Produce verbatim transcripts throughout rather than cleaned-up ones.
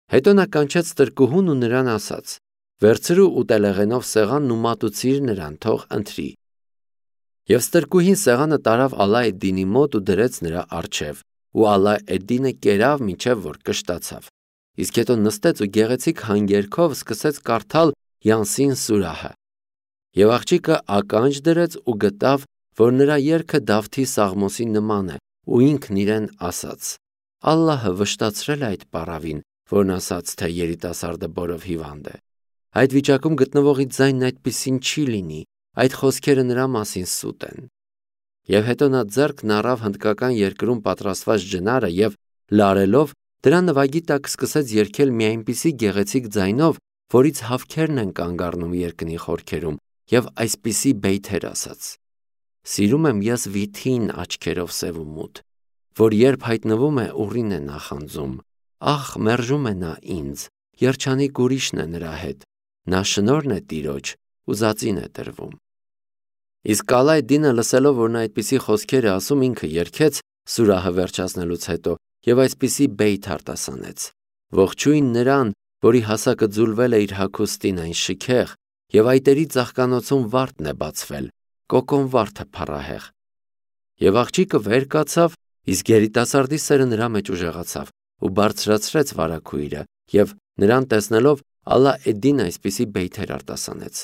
Հետո նա կանչեց տրկուհուն ու նրան ասաց. «Վերցրու ուտելեղենով սեղանն ու մատուցիր նրան, թող ընթրի»։ Եվ ստրկուհին սեղանը տարավ Ալլա էդ-Դինի մոտ ու դրեց նրա առջև, ու Ալլա էդ-Դինը կերավ մինչև որ կշտացավ։ Իսկ հետո նստեց ու գեղեցիկ հանգերքով սկսեց կարդալ Յանսին սուրահը։ Եվ աղջիկը ականջ դրեց ու գտավ, որ նրա երգը Դավթի Սաղմոսի նման է, ու ինքն իրեն ասաց. «Ալլահը վշտացրել է այդ պառավին, որն ասաց, թե երիտասարդը բորով հիվանդ է։ Այդ վիճակում գտնվողի ձայնն այդպիսին չի լինի, այդ խոսքերը նրա մասին սուտ են»։ Եվ հետո նա ձեռքն առավ հնդկական երկրում պատրաստված ջնարը և լարելով դրա նվագի տակ սկսեց երգել մի այնպիսի գեղեցիկ ձայնով, որից հավքերն են կանգ առնում երկնի խորքերում, և այսպիսի բեյթեր ասաց. «Սիրում եմ ես վիթին աչքերով սև ու մութ, որ երբ հայտնվում է ուռին է նախանձում, ախ մերժում է նա ինձ, երջանիկ ուրիշն է նրա հետ, նա շնորհն է Տիրոջ ու ձածին է տրվում»։ Իսկ Ալլա էդ-Դինը լսելով, որ նա այդպիսի խոսքեր է ասում, ինքը երգեց սուրահը վերջացնելուց հետո և այսպիսի բեյթ արտասանեց. «Ողջույն նրան, որի հասակը ձուլվել է իր հագուստին այն շքեղ, և այտերի ծաղկանոցում վարդն է բացվել, կոկոն վարդը փառահեղ»։ Եվ աղջիկը վեր կացավ, իսկ երիտասարդի սերը նրա մեջ ուժեղացավ ու բարձրացրեց վարագույրը, և նրան տեսնելով Ալլա էդ-Դինը այսպիսի բեյթեր արտասանեց.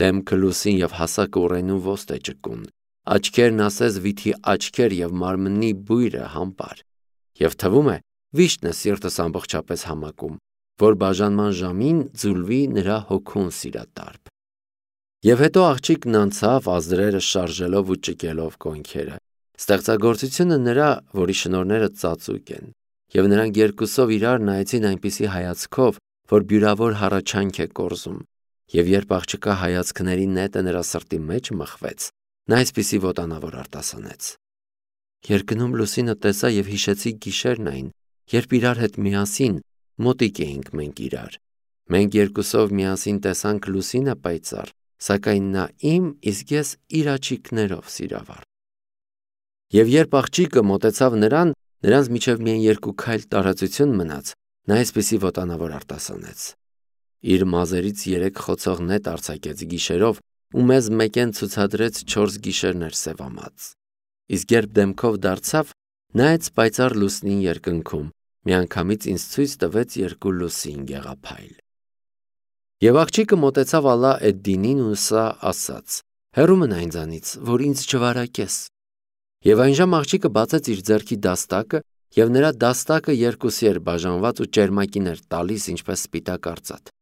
«Դեմքը լուսին և հասակը ուռենու ոստ է ճկուն, աչքերն ասես վիթի աչքեր և մարմնի բույրը համբար, և թվում է վիշտն է սիրտս ամբողջապես համակում, որ բաժանման ժամին ձուլվի նրա հոգուն սիրատարբ»։ Եվ հետո աղջիկն անցավ ազդրերը շարժելով ու ճկելով կոնքերը։ Ստեղծագործությունը նրա, որի շնորհները ծածուկ են, և նրանք երկուսով իրար նայեցին այնպիսի հայացքով, որ բյուրավոր հառաչանք է կորզում, և երբ աղջկա հայացքների նետը նրա սրտի մեջ մխվեց, նա այսպիսի ոտանավոր արտասանեց. «Երկնում լուսինը տեսա և հիշեցի գիշերն այն, երբ իրար հետ միասին մոտիկ էինք մենք իրար, մենք երկուսով միասին տեսանք լուսինը պայծառ, սակայն նա իմ, իսկ ես իր աչիկներով սիրավառ»։ Եվ երբ աղջիկը մոտեցավ նրան, նրանց միջև միայն երկու քայլ տարածություն մնաց, նա այսպիսի ոտանավոր արտասանեց. «Իր մազերից երեք խոցող նետ արձակեց գիշերով ու մեզ մեկեն ցուցադրեց չորս գիշերներ սևամած, իսկ երբ դեմքով դարձավ, նայեց պայծառ լուսնին երկնքում, միանգամից ինձ ցույց տվեց երկու լուսին գեղափայլ»։ Եվ աղջիկը մոտեցավ Ալլա էդ-Դինին ու սա ասաց. «Հեռու մնա ինձանից, որ ինձ չվարակես»։ Եվ այնժամ աղջիկը բացեց իր ձեռքի դաստակը, և նրա դաստակը երկուսի էր բաժանված ու ճերմակին էր տալիս, ինչպես սպիտակ արծաթ։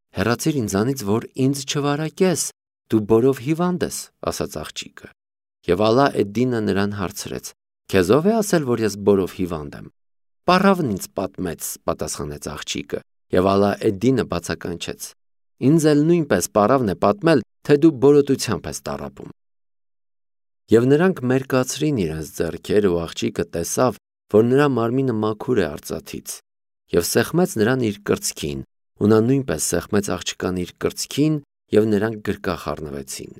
«Հեռացիր ինձանից, որ ինձ չվարակես, դու բորով հիվանդ ես», ասաց աղջիկը։ Եվ Ալլա էդ-Դինը նրան հարցրեց. «Քեզ ո՞վ է ասել, որ ես բորով հիվանդ եմ»։ «Պառավն ինձ պատմեց», պատասխանեց աղջիկը։ Եվ Ալլա էդ-Դինը բացականչեց. «Ինձ էլ նույնպես պառավն է պատմել, թե դու բորոտությամբ ես տառապում»։ Եվ նրանք մերկացրին իրենց ձեռքերը, ու աղջիկը տեսավ, որ նրա մարմինը մաքուր է արծաթից, և սեղմեց նրան իր կրծքին, ու նա նույնպես սեղմեց աղջկան իր կրծքին, և նրանք գրկախ առնվեցին։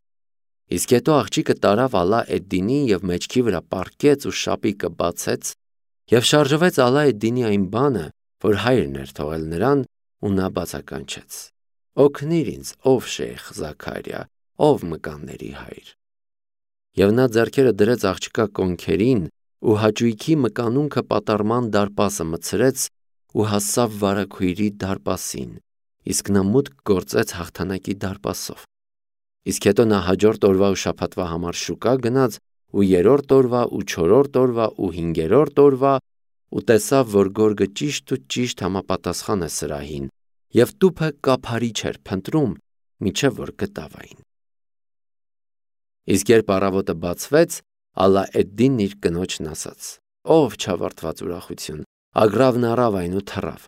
Իսկ հետո աղջիկը տարավ Ալլա էդ-Դինին և մեջքի վրա պառկեց ու շապիկը բացեց, և շարժվեց Ալլա էդ-Դինի այն բանը, որ հայրն էր թողել նրան, ու նա բացականչեց. «Օգնիր ինձ, ով Շեյխ Զաքարիա, ով մկանների հայր»։ Եվ նա ձեռքերը դրեց աղջկա կոնքերին ու հաճույքի մկանունքը պատառման դարպասը մտցրեց ու հասավ վարագույրի դարպասին, իսկ նա մուտք գործեց հաղթանակի դարպասով։ Իսկ հետո նա հաջորդ օրվա ու շաբաթվա համար շուկա գնաց, ու երրորդ օրվա ու չորրորդ օրվա ու հինգերորդ օրվա, ու տեսավ, որ գորգը ճիշտ ու ճիշտ համապատասխան է սրահին, և տուփը կափարիչ էր փնտրում, մինչև որ գտավ այն։ Իսկ երբ առավոտը բացվեց, Ալլա էդ-Դինն իր կնոջն ասաց. «Ով չավարտված ուրախություն, ագռավն առավ այն ու թռավ»։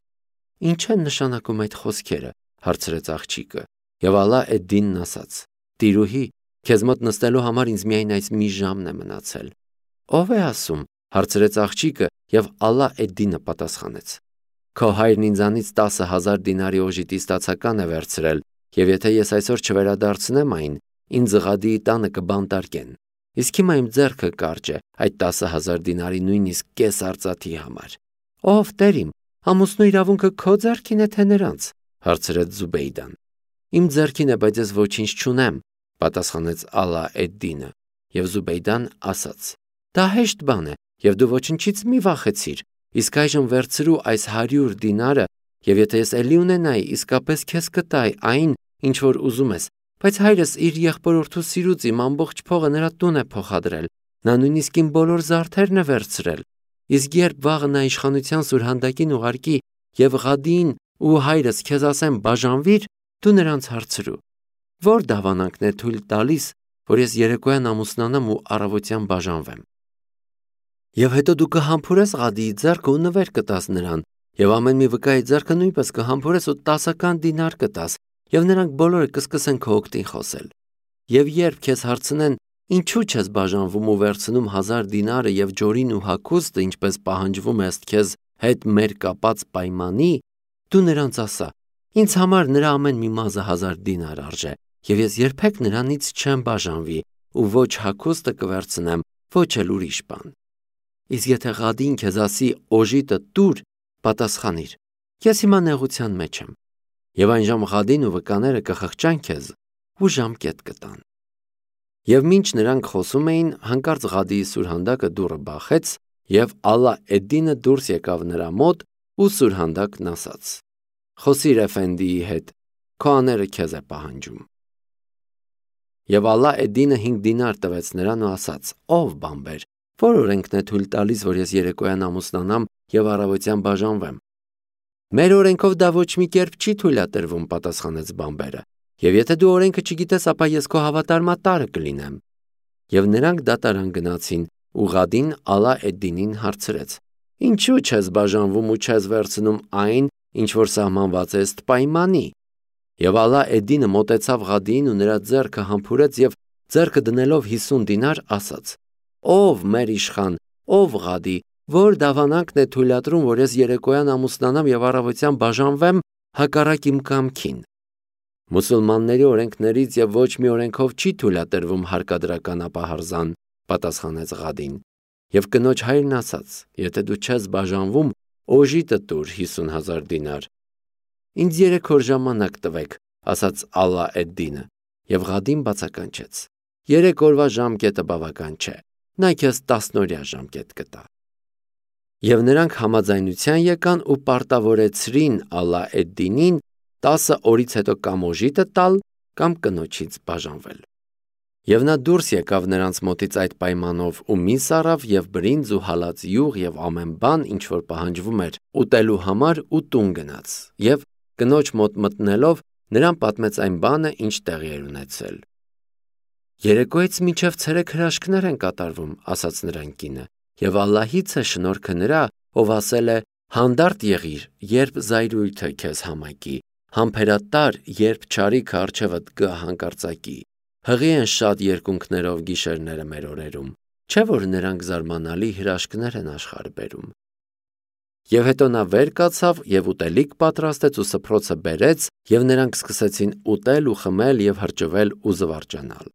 «Ի՞նչ են նշանակում այդ խոսքերը», հարցրեց աղջիկը։ Եվ Ալլա էդ-Դինն ասաց. «Տիրուհի, քեզ մոտ նստելու համար ինձ միայն այս մի ժամն է մնացել»։ «Ո՞վ է ասում», հարցրեց աղջիկը, և Ալլա էդ-Դինը պատասխանեց. «Քո հայրն ինձանից տասը հազար դինարի օժիտի ստացական է վերցրել, և եթե ես այսօր չվերադարձնեմ այն, ինձ Ղադիի տանը կբանտարկեն, իսկ հիմա իմ ձեռքը կարճ է այդ տասը հազար դինարի նույնիսկ կես արծաթի համար»։ «Ով Տեր իմ, Ամուսնու իրավունքը քո ձեռքին է, թե նրանց, հարցրեց Զուբեյդան։ Իմ ձեռքին է, բայց ես ոչինչ չունեմ, պատասխանեց Ալա էդ-Դինը, եւ Զուբեյդան ասաց. Դա հեշտ բան է, եւ դու ոչնչից մի վախեցիր, իսկ այժմ վերցրու այս հարյուր դինարը, եւ եթե ես էլի ունենայի, իսկապես քեզ կտայի այն, ինչ որ ուզում ես, բայց հայրս իր եղբորորդու սիրուց իմ ամբողջ փողը նրա տուն է փոխադրել, նա նույնիսկ իմ բոլոր զարդերն է վերցրել, իսկ երբ վաղը նա իշխանության սուրհանդակին ուղարկի եւ Ղադին ու հայրս քեզ ասեմ բաժանվիր, դու նրանց հարցրու, որ դավանանքն է թույլ տալիս, որ ես երեկոյան ամուսնանամ ու առավոտյան բաժանվեմ։ Եվ հետո դու կհամբուրես Ղադիի ձեռքը ու նվեր կտաս նրան, եւ ամեն մի վկայի ձեռքը նույնպես կհամբուրես ու տասական դինար կտաս, եւ նրանք բոլորը կսկսեն քո օգտին խոսել։ Եվ երբ քեզ հարցնեն, ինչու չես բաժանվում ու վերցնում հազար դինարը եւ ջորին ու հագուստը, ինչպես պահանջվում է ըստ քեզ հետ մեր կապած պայմանի, դու նրանց ասա. ինձ համար նրա ամեն մի մազը հազար դինար արժե, եւ ես երբեք նրանից չեմ բաժանվի ու ոչ հագուստը կվերցնեմ, ոչ էլ ուրիշ բան։ Իսկ եթե Ղադին քեզ ասի օժիտը տուր, պատասխանիր. ես հիմա նեղության մեջ եմ։ Եվ այն ժամ Ղադին ու վկաները կխղճան քեզ ու ժամկետ կտան։ Եվ մինչ նրանք խոսում էին, հանկարծ Ղադիի սուրհանդակը դուռը բախեց, եւ Ալա էդ-Դինը դուրս եկավ նրա մոտ ու սուրհանդակն ասաց. Խոսիր Էֆենդիի հետ, քո աները քեզ է պահանջում։ Եվ Ալա էդ-Դինը հինգ դինար տվեց նրան ու ասաց. ով բամբեր, որ օրենքն է թույլ տալիս, որ ես երեկոյան ամուսնանամ եւ առավոտյան բաժանվեմ։ Մեր օրենքով դա ոչ մի կերպ չի թույլատրվում, պատասխանեց բամբերը։ Եվ եթե դու օրենքը չգիտես, ապա ես քո հավատարմատարը կլինեմ։ Եվ նրանք դատարան գնացին, ու Ղադին Ալա էդ-Դինին հարցրեց. ինչու չես բաժանվում ու չես վերցնում այն, ինչ որ սահմանված է ըստ պայմանի։ Եվ Ալա էդ-Դինը մոտեցավ Ղադիին ու նրա ձեռքը համբուրեց եւ ձեռքը դնելով հիսուն դինար ասաց. ով մեր իշխան, ով Ղադի, որ դավանանքն է թույլատրում, որ ես երեկոյան ամուսնանամ եւ առավոտյան բաժանվեմ հակառակ իմ կամքին։ Մուսուլմանների օրենքներից եւ ոչ մի օրենքով չի թույլատրվում հարկադրական ապահարզան, պատասխանեց Ղադին։ Եվ կնոջ հայրն ասաց. եթե դու չես բաժանվում, օժիտը տուր հիսուն հազար դինար։ Ինձ երեք օր ժամանակ տվեք, ասաց Ալա էդ-Դինը, եւ Ղադին բացականչեց. երեք օրվա ժամկետը բավական չէ, նա քեզ տասնօրյա ժամկետ կտա։ Եվ նրանք համաձայնության եկան ու պարտավորեցրին Ալա էդ-Դինին տասը օրից հետո կամ օժիտը տալ, կամ կնոջից բաժանվել։ Եվ նա դուրս եկավ նրանց մոտից այդ պայմանով ու միս առավ եւ բրինձ ու հալած յուղ եւ ամեն բան, ինչ որ պահանջվում էր ուտելու համար ու տուն գնաց։ Եվ կնոջ մոտ մտնելով նրան պատմեց այն բանը, ինչ տեղի էր ունեցել։ Երեկոյից մինչև ցերեկ հրաշքներ են կատարվում, ասաց նրան կինը, եւ Ալլահից է շնորհքը նրա, ով ասել է. հանդարտ եղիր, երբ զայրույթը քեզ համակի, համբերատար, երբ չարիքը առջևդ կհանկարծակի։ Հղի են շատ երկունքներով գիշերները մեր օրերում, չէ՞ որ նրանք զարմանալի հրաշքներ են աշխարհ բերում։ Եվ հետո նա վեր կացավ եւ ուտելիք պատրաստեց ու սփռոցը բերեց, եւ նրանք սկսեցին ուտել ու խմել եւ հրճվել ու զվարճանալ։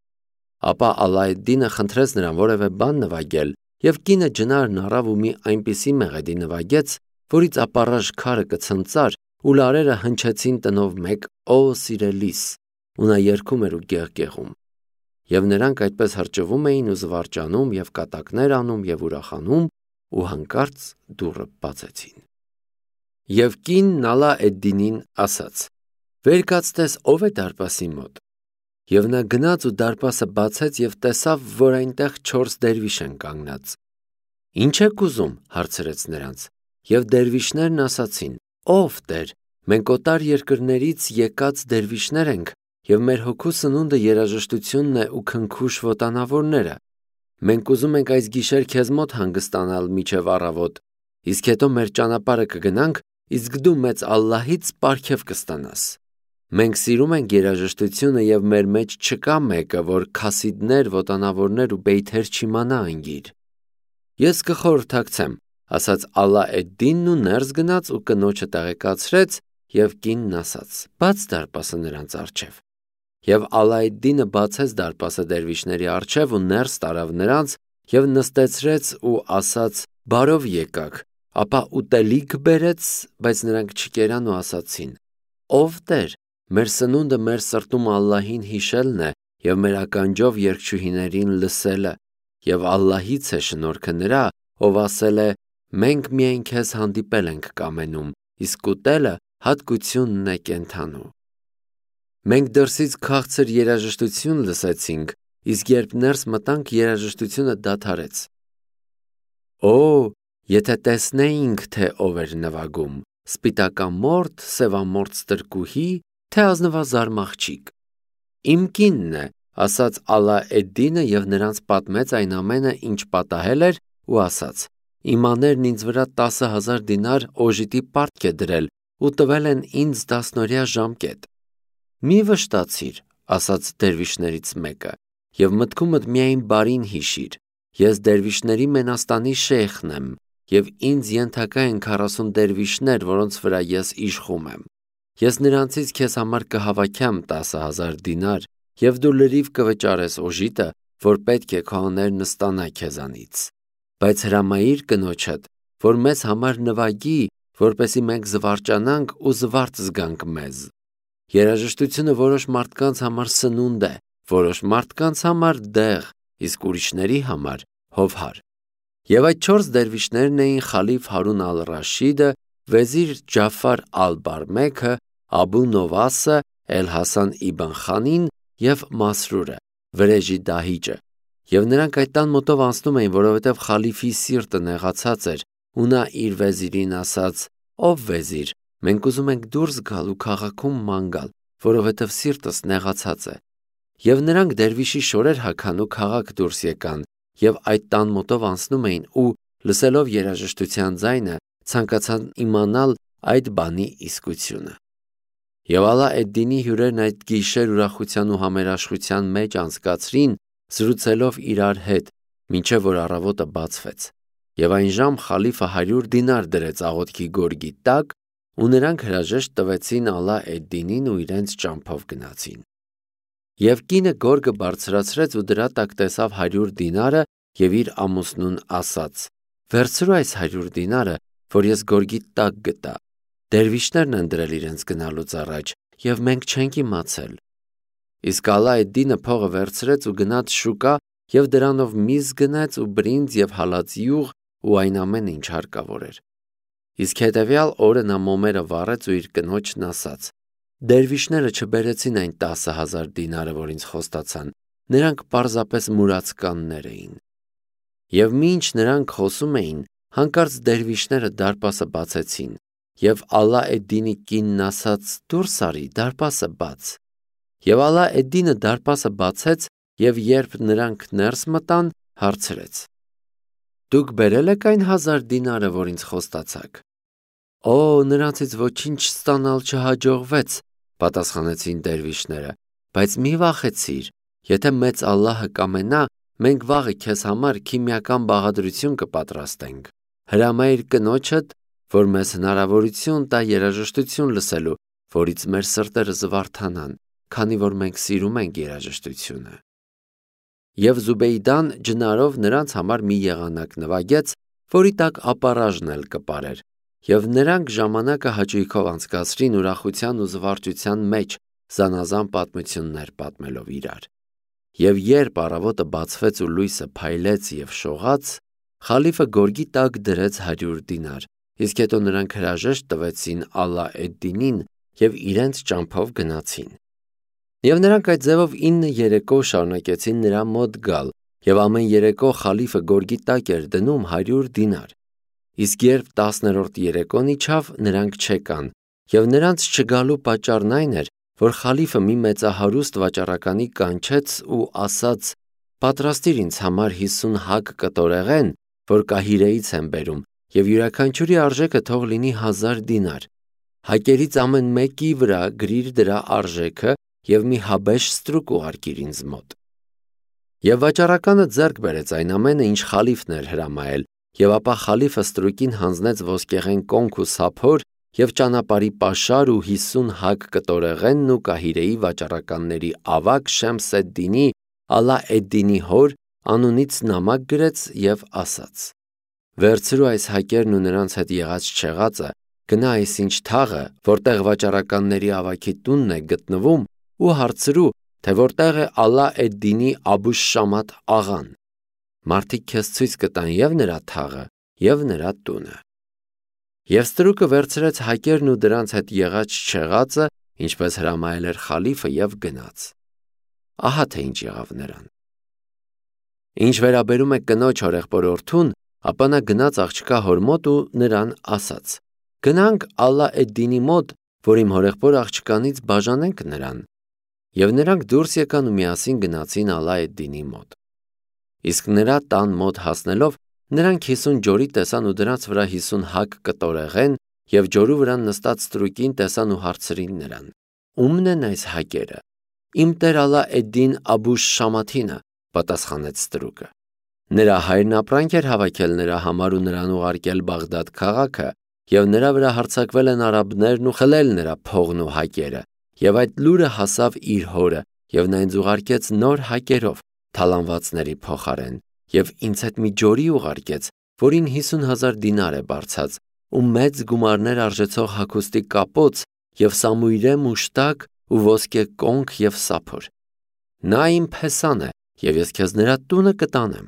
Ապա Ալա էդ-Դինը խնդրեց նրան որևէ բան նվագել, եւ կինը ջնարն առավ ու մի այնպիսի մեղեդի նվագեց, որից ապառաժ քարը կցնծար ու լարերը հնչեցին տնով մեկ «Օ սիրելիս», ու նա երգում էր ու գեղգեղում։ Եվ նրանք այդպես հրճվում էին ու զվարճանում եւ կատակներ անում եւ ուրախանում, ու հանկարծ դուռը բացեցին։ Եվ կինն Ալա էդ-Դինին ասաց. «Վեր կացտես, ով է դարպասի մոտ»։ Եվ նա գնաց ու դարպասը բացեց եւ տեսավ, որ այնտեղ չորս դերվիշ են կանգնած։ «Ինչ եք ուզում» հարցրեց նրանց։ Եվ դերվիշներն ասացին. «Ով Տեր, մենք օտար երկրներից եկած դերվիշներ ենք, եւ մեր հոգու սնունդը երաժշտությունն է ու քնքուշ ոտանավորները։ Մենք ուզում ենք այս գիշեր քեզ մոտ հանգստանալ միջև առավոտ, իսկ հետո մեր ճանապարհը կգնանք, իսկ դու մեծ Ալլահից պարգև կստանաս։ Մենք սիրում ենք երաժշտությունը եւ մեր մեջ չկա մեկը, որ քասիդներ, ոտանավորներ ու բեյթեր չիմանա անգիր»։ Ես կխորհրդակցեմ, ասաց Ալա էդ-Դինն ու ներս գնաց ու կնոջը տեղեկացրեց, եւ կինն ասաց. «Բաց դարպասը նրանց առջև»։ Եվ Ալա էդ-Դինը բացեց դարպասը դերվիշների առջև ու ներս տարավ նրանց եւ նստեցրեց ու ասաց. «Բարով եկաք, ապա ուտելիք բերեց, բայց նրանք չկերան ու ասացին. «Ով Տեր, մեր սնունդը մեր սրտում Ալլահին հիշելն է և մեր ականջով երգչուհիներին լսելը, և Ալլահից է շնորհքը նրա, ով ասել է. մենք միայն քեզ հանդիպել ենք կամենում, իսկ ուտելը հատկությունն է կենդանու։ Մենք դրսից քաղցր երաժշտություն լսեցինք, իսկ երբ ներս մտանք, երաժշտությունը դադարեց։ Օ, եթե տեսնեինք, թե ով էր նվագում, սպիտակամորթ, սևամորթ ստրկուհի, թե ազնվազարմ աղջիկ։ Իմ կինն է, ասաց Ալա Էդ-Դինը և նրանց պատմեց այն ամենը, ինչ պատահել էր ու ասաց. իմ աներն ինձ վրա տասը հազար դինար օժիտի պարտք է դրել ու տվել են ինձ դասնօրյա ժամկետ։ Մի վշտացիր, ասաց դերվիշներից մեկը, և մտքումդ միայն բարին հիշիր, ես դերվիշների մենաստանի շեյխն եմ, և ինձ ենթակա են քառասուն դերվիշներ, որոնց վրա ես իշխում եմ։ Ես նրանցից քեզ համար կհավաքեմ տասը հազար դինար, և դու լրիվ կվճարես օժիտը, որ պետք է քո աներն ստանա քեզանից։ Բայց հրամայիր կնոջդ, որ մեզ համար նվագի, որպեսզի մենք զվարճանանք ու զվարթ զգանք մեզ։ Երաժշտությունը որոշ մարդկանց համար սնունդ է, որոշ մարդկանց համար դեղ, իսկ ուրիշների համար հովհար։ Եվ այդ չորս դերվիշներն էին Խալիֆ Հարուն ալ-Ռաշիդը, Վեզիր Ջաֆար ալ-Բարմեքը, Աբու Նովասը, Էլ-Հասան Իբն Խանին և Մասրուրը, վրեժի դահիճը։ Եվ նրանք այդ տան մոտով անցնում էին, որովհետև խալիֆի սիրտը նեղացած էր, ու նա իր վեզիրին ասաց. «Ով վեզիր, մենք ուզում ենք դուրս գալ ու քաղաքում ման գալ, որովհետև սիրտս նեղացած է»։ Եվ նրանք դերվիշի շորեր հագան ու քաղաք դուրս եկան, և այդ տան մոտով անցնում էին ու, լսելով երաժշտության ձայնը, ցանկացան իմանալ այդ բանի իսկությունը։ Եվ Ալա Էդ-Դինի հյուրերն այդ գիշեր ուրախության ու համերաշխության մեջ անցկացրին, զրուցելով իրար հետ, մինչև որ առավոտը բացվեց։ Եվ այն ժամ խալիֆը հարյուր դինար դրեց աղոթքի գորգի տակ, ու նրանք հրաժեշտ տվեցին Ալա Էդ-Դինին ու իրենց ճամփով գնացին։ Եվ կինը գորգը բարձրացրեց ու դրա տակ տեսավ հարյուր դինարը և իր ամուսնուն ասաց. «Վերցրու այս հարյուր դինարը, որ ես գորգի տակ գտա։ Դերվիշներն են դրել իրենց գնալուց առաջ, և մենք չենք իմացել»։ Իսկ Ալա Էդ-Դինը փողը վերցրեց ու գնաց շուկա և դրանով միզ գնեց ու բրինձ և հալած յուղ ու այն ամենը, ինչ հարկավոր էր։ Իսկ հետևյալ օրը նա մոմերը վառեց ու իր կնոջն ասաց. «Դերվիշները չբերեցին այն տասը հազար դինարը, որ ինձ խոստացան, նրանք պարզապես մուրացկաններ էին»։ Եվ մինչ նրանք խոսում էին, հանկարծ դերվիշները դարպասը բացեցին, և Ալա Էդ-Դինի կինն ասաց. «Դուրս արի, դարպասը բաց»։ Եվ Ալա Էդ-Դինը դարպասը բացեց և երբ նրանք ներս մտան, հարցրեց. «Դուք բերել եք այն հազար դինարը, որ ինձ խոստացաք»։ «Օ, նրանցից ոչինչ ստանալ չհաջողվեց», պատասխանեցին դերվիշները, «բայց մի վախեցիր, եթե մեծ Ալլահը կամենա, մենք վաղը քեզ համար քիմիական բաղադրություն կպատրաստենք։ Հրամայիր կնոջդ, որ մեզ հնարավորություն տա երաժշտություն լսելու, որից մեր սրտերը զվարթանան, քանի որ մենք սիրում ենք երաժշտությունը»։ Եվ Զուբեյդան ջնարով նրանց համար մի եղանակ նվագեց, որի տակ ապառաժն էլ կպարեր, և նրանք ժամանակը հաճույքով անցկացրին ուրախության ու զվարճության մեջ, զանազան պատմություններ պատմելով իրար։ Եվ երբ առավոտը բացվեց ու լույսը փայլեց և շողաց, խալիֆը գորգի տակ դրեց հարյուր դինար, իսկ հետո նրանք հրաժեշտ տվեցին Ալա Էդ-Դինին և իրենց ճամփով գնացին։ Եվ նրանք այդ ձևով ինը երեկո շարունակեցին նրա մոտ գալ, և ամեն երեկո խալիֆը գորգի տակ էր դնում հարյուր դինար։ Իսկ երբ տասներորդ երեկոն իջավ, նրանք չեկան, և նրանց չգալու պատճառն այն էր, որ խալիֆը մի մեծահարուստ վաճառականի կանչեց ու ասաց. «Պատրաստիր ինձ համար հիսուն հագ կտորեղեն, որ Կահիրեից եմ բերում, և յուրաքանչյուրի արժեքը թող լինի հազար դինար։ Հակերից ամեն մեկի վրա գրիր դրա արժեքը և մի հաբեշ ստրուկ ուղարկիր ինձ մոտ»։ Եվ վաճառականը ձեռք բերեց այն ամենը, ինչ խալիֆն էր հրամայել, և ապա խալիֆը ստրուկին հանձնեց ոսկեղեն կոնք ու սափոր և ճանապարհի պաշար ու հիսուն հագ կտորեղենն ու Կահիրեի վաճառականների ավագ Շեմս էդ-Դինի, Ալա Էդ-Դինի հոր, անունից նամակ գրեց և ասաց. Վերցրու այս հակերն ու նրանց հետ եղած չեղածը, գնա այսինչ թաղը, որտեղ վաճառականների ավագի տունն է գտնվում, ու հարցրու, թե որտեղ է Ալա էդ-Դինի Աբուշ Շամաթ աղան։ Մարդիկ քեզ ցույց կտան և նրա թաղը, և նրա տունը։ Եվ ստրուկը վերցրեց հակերն ու դրանց հետ եղած չեղածը, ինչպես հրամայել էր խալիֆը, և գնաց։ Ահա թե ինչ եղավ նրան։ Ինչ վերաբերում է կնոջ հորեղբորորդուն, ապա նա գնաց աղջկա հոր մոտ ու նրան ասաց. «Գնանք Ալա էդ-Դինի մոտ, որ իմ հորեղբոր աղջկանից բաժանենք նրան»։ Եվ նրանք դուրս եկան ու միասին գնացին Ալա էդ-Դինի մոտ։ Իսկ նրա տան մոտ հասնելով, նրանք հիսուն ջորի տեսան ու դրանց վրա հիսուն հակ կտորեղեն, և ջորու վրա նստած ստրուկին տեսան ու հարցրին նրան. «Ո՞ւմն են այս հակերը»։ «Իմ տեր Ալա էդ-Դին Աբուշ Շամաթինը», պատասխանեց ստրուկը։ Նրա հայրն ապրանք էր հավաքել նրա համար ու նրան ուղարկել Բաղդադ քաղաքը, և նրա վրա հարձակվել են արաբներն ու խլել նրա փողն ու հակերը, և այդ լուրը հասավ իր հորը, և նա ինձ ուղարկեց նոր հակերով, թալանվածների փոխարեն, և ինձ հետ մի ջորի ուղարկեց, որին հիսուն հազար դինար է բարձած, ու մեծ գումարներ արժեցող հագուստի կապոց, և սամույրե մուշտակ ու ոսկե կոնք և սափոր։ Նա իմ փեսան է, և ես քեզ նրա տունը կտանեմ,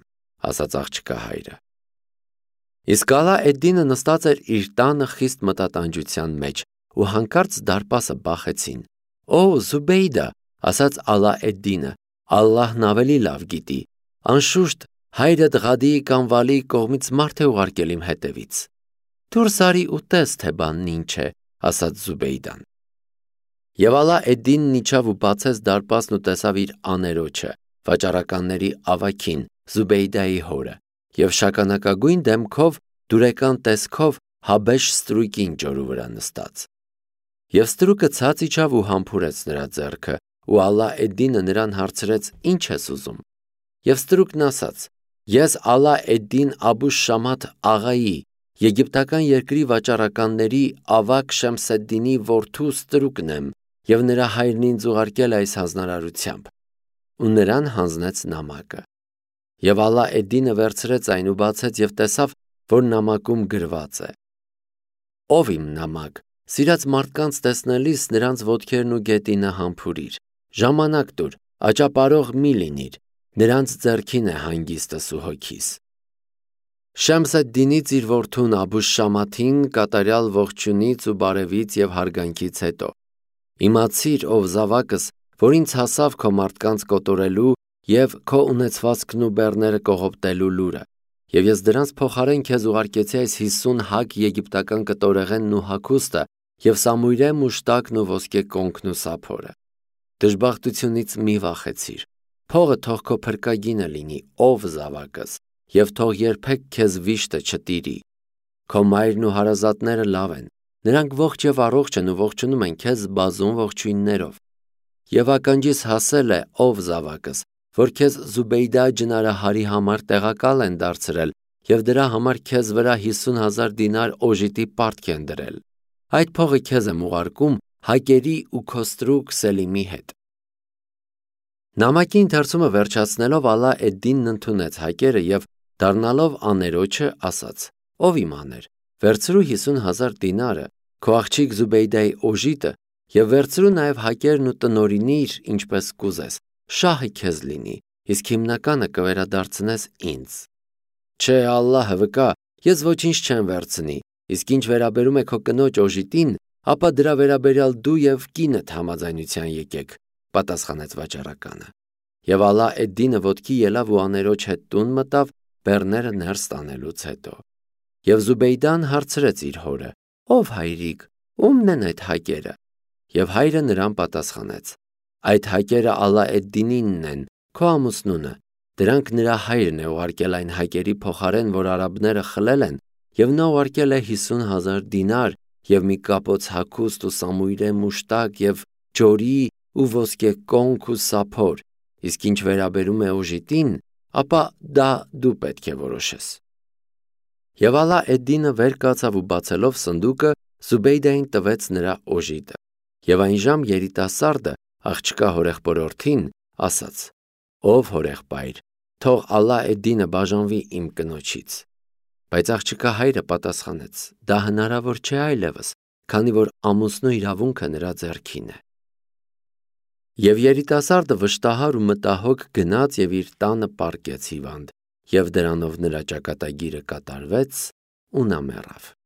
ասաց աղջկա հայրը։ Իսկ Ալա էդ-Դինը նստած էր իր տանը խիստ մտատանջության մեջ, ու հանկարծ դարպասը բախեցին։ «Օ, Զուբեյդա», ասաց Ալա էդ-Դինը, «Ալլահն ավելի լավ գիտի, անշուշտ հայրդ Ղադիի կամ Վալիի կողմից մարդ է ուղարկել իմ հետևից»։ «Դուրս արի ու տես, թե բանն ինչ է», ասաց Զուբեյդան։ Եվ Ալա էդ-Դինն իջավ ու բացեց դարպասն ու տեսավ իր աներոջը, վաճառականների ավագին, Զուբեյդայի հորը, և շագանակագույն դեմքով, դուրեկան տեսքով Հաբեշ ստրուկին ջորու վրա նստած։ Եվ ստրուկը ցած իջավ ու համբուրեց նրա ձեռքը, ու Ալա էդ-Դինը նրան հարցրեց. «Ի՞նչ ես ուզում»։ Եվ ստրուկն ասաց. «Ես Ալա էդ-Դին Աբուշ Շամաթ աղայի, եգիպտական երկրի վաճառականների ավագ Շեմսեդդինի որդու ստրուկն եմ, և նրա հայրն ինձ ուղարկել է այս հանձնարարությամբ»։ Ու նրան հանձնեց նամակը։ Եվ Ալա էդ-Դինը վերցրեց այն ու բացեց և տեսավ, որ նամակում գրված է. «Ով իմ նամակ, սիրած մարդկանց տեսնելիս նրանց ոտքերն ու գետինը համբուրիր, ժամանակ տուր, աճապարող մի լինիր, նրանց ձեռքին է հանգիստս ու հոգիս»։ Շեմսեդդինից իր որդուն Աբուշ Շամաթին կատարյալ ողջույնից ու բարևից և հարգանքից հետո. «Իմացիր, ով զավակս, որ ինձ հասավ քո մարդկանց կոտորելու և քո ունեցվածքն ու բեռները կողոպտելու լուրը, և ես դրանց փոխարեն քեզ ուղարկեցի այս հիսուն հակ եգիպտական կտորեղենն ու հագուստը և սամույրե մուշտակն ու ոսկե կոնքն ու սափորը։ Դժբախտությունից մի վախեցիր, փողը թող քո փրկագինը լինի, ով զավակս, և թող երբեք քեզ վիշտը չտիրի։ Քո մայրն ու հարազատները լավ են, նրանք ողջ և առողջ են ու ողջունում են քեզ բազում ողջույններով։ Եվ ականջիս հասել է, ով զավակս, որ քեզ Զուբեյդա ջնարահարի համար տեղակալ են դարձրել և դրա համար քեզ վրա հիսուն հազար դինար օժիտի պարտք են դրել։ Այդ փողը քեզ եմ ուղարկում հակերի ու քո ստրուկ Սելիմի հետ»։ Նամակի ընթերցումը վերջացնելով Ալա էդ-Դինն ընդունեց հակերը և դառնալով աներոջը ասաց. «Ով իմ աներ, վերցրու հիսուն հազար դինարը, քո աղջիկ Զուբեյդայի օժիտը, և վերցրու նաև հակերն ու տնօրինիր, ինչպես կուզես, շահը քեզ լինի, իսկ հիմնականը կվերադարձնես ինձ»։ «Չէ, Ալլահը վկա, ես ոչինչ չեմ վերցնի, իսկ ինչ վերաբերում է քո կնոջ օժիտին, ապա դրա վերաբերյալ դու և կինդ համաձայնության եկեք», պատասխանեց վաճառականը։ Եվ Ալա էդ-Դինը ոտքի ելավ ու աներոջ հետ տուն մտավ բեռները ներս տանելուց հետո։ Եվ Զուբեյդան հարցրեց իր հորը. «Ով հայրիկ, ո՞ւմն են այդ հակերը»։ Եվ հայրը նրան պատասխանեց. «Այդ հակերը Ալա էդ-Դինինն են, քո ամուսնունը, դրանք նրա հայրն է ուղարկել այն հակերի փոխարեն, որ արաբները խլել են, և նա ուղարկել է հիսուն հազար դինար և մի կապոց հագուստ ու սամույրե մուշտակ և ջորի ու ոսկե կոնք ու սափոր, իսկ ինչ վերաբերում է օժիտին, ապա դա դու պետք է որոշես»։ Եվ Ալա էդ-Դինը վեր կացավ ու բացելով սնդուկը Զուբեյդային տվեց նրա օժիտը։ Եվ այն ժամ երիտասարդը, աղջկա հորեղբորորդին, ասաց. «Ով հորեղբայր, թող Ալա էդ-Դինը բաժանվի իմ կնոջից»։ Բայց աղջկա հայրը պատասխանեց. դա հնարավոր չէ այլևս, քանի որ ամուսնու իրավունքը նրա ձեռքին է։ Եվ երիտասարդը վշտահար ու մտահոգ գնաց և իր տանը պառկեց հիվանդ, և դրանով նրա ճակատագիրը կատարվեց ու նա մեռավ։